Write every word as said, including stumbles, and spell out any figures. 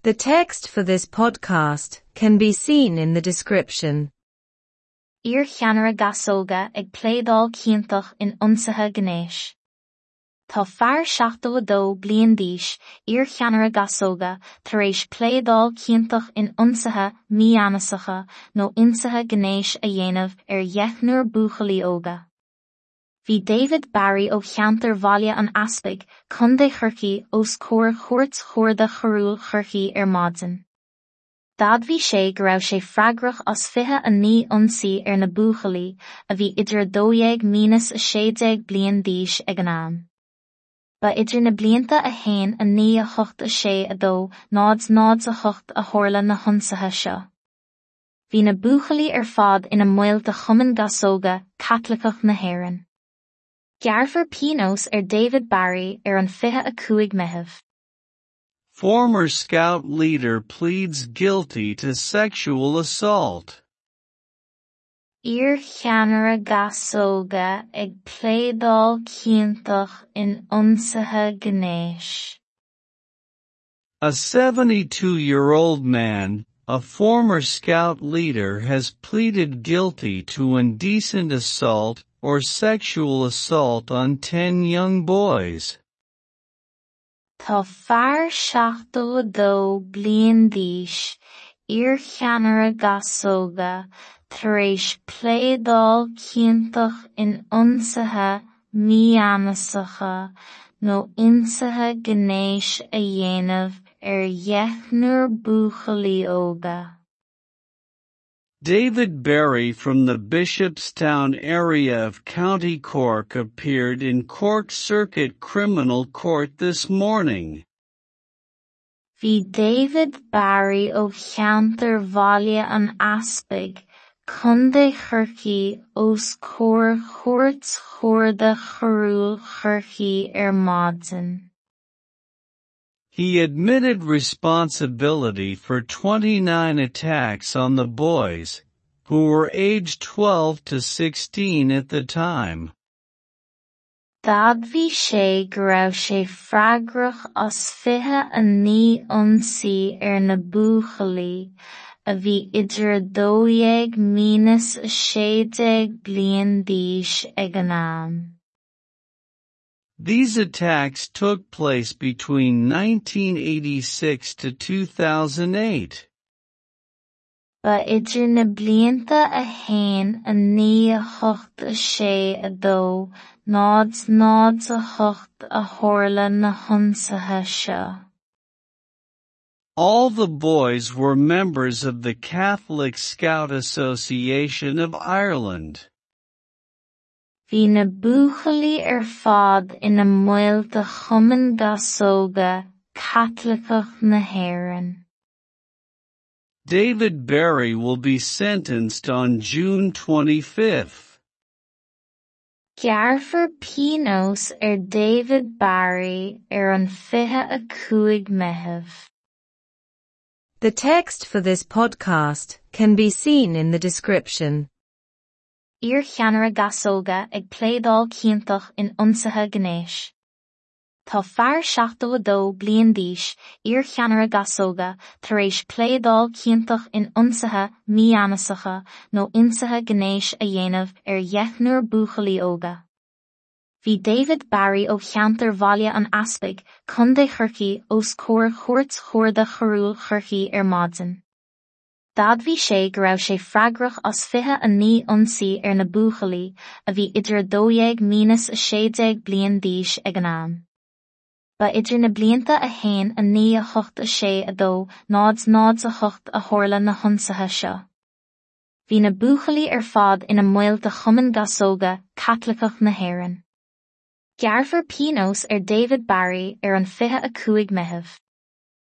The text for this podcast can be seen in the description. Iar-cheannaire gasóga ag pléadáil ciontach in ionsaithe gnéis. Tá fear seachtó a dó bliain d'aois, iar-cheannaire gasóga, tar éis pléadáil ciontach in ionsaithe mígheanasacha nó ionsaithe gnéis a dhéanamh ar dheichniúr buachaillí óga. Bhí David Barry ó cheantar Bhaile an Easpaig, Contae Chorcaí os comhair Chúirt Chuarda Choiriúil Chorcaí ar maidin. D'admhaigh sé go raibh sé freagrach as fiche a naoi ionsaí ar na buachaillí, a bhí idir a dó dhéag mínas a sé déag bliain d'aois ag an am. Ba idir na blianta a haon a naoi a hocht a sé a dó náid náid a hocht a tharla na hionsaithe seo. Bhí na buachaillí ar fad ina mbaill de Chumann Gasóga Caitliceach na hÉireann. Gearrfar pionós ar David Barry ar an fiche a cúig Meitheamh. Former Scout leader pleads guilty to sexual assault. Iar-cheannaire gasóga ag pléadáil ciontach in ionsaithe gnéis. A seventy-two-year-old man, a former Scout leader, has pleaded guilty to indecent assault or sexual assault on ten young boys. Tá fear seachtó a dó bliain d'aois, iar-cheannaire gasóga, tar éis pléadáil ciontach in ionsaithe mígheanasacha nó ionsaithe gnéis a dhéanamh ar dheichniúr buachaillí óga. David Barry from the Bishopstown area of County Cork appeared in Cork Circuit Criminal Court this morning. Bhí David Barry ó cheantar Bhaile an Easpaig, Contae Chorcaí os comhair Chúirt Chuarda Choiriúil Chorcaí ar maidin. He admitted responsibility for twenty-nine attacks on the boys, who were aged twelve to sixteen at the time. D'admhaigh sé go raibh sé freagrach as fiche a naoi ionsaí ar na buachaillí, a bhí idir a dó dhéag mínas a sé déag bliain d'aois ag an am. These attacks took place between nineteen eighty-six to two thousand eight. Ba idir na blianta a haon a naoi a hocht a sé a dó náid náid a hocht a tharla na hionsaithe seo. All the boys were members of the Catholic Scout Association of Ireland. Bhí na buachaillí ar fad ina mbaill de Chumann Gasóga Caitliceach na hÉireann. David Barry will be sentenced on June twenty-fifth. Gearrfar pionós ar David Barry ar an fiche a cúig Meitheamh. The text for this podcast can be seen in the description. Iar-cheannaire gasóga ag pléadáil ciontach in ionsaithe gnéis. Tá fear seachtó a dó bliain d'aois, iar-cheannaire gasóga, tar éis pléadáil ciontach in ionsaithe mígheanasacha nó ionsaithe gnéis a dhéanamh ar dheichniúr buachaillí óga. Bhí David Barry ó cheantar Bhaile an Easpaig, Contae Chorcaí os comhair Chúirt Chuarda Choiriúil Chorcaí ar maidin. D'admhaigh sé go raibh sé freagrach as fiche a naoi ionsaí ar na buachaillí, a bhí idir a dó dhéag mínas a sé déag bliain d'aois ag an am. Ba idir na blianta a haon a naoi a hocht a sé a dó náid náid a hocht a tharla na hionsaithe seo. Bhí na buachaillí ar fad ina mbaill de Chumann Gasóga Caitliceach na hÉireann. Gearrfar pionós ar David Barry ar an fiche a cúig Meitheamh.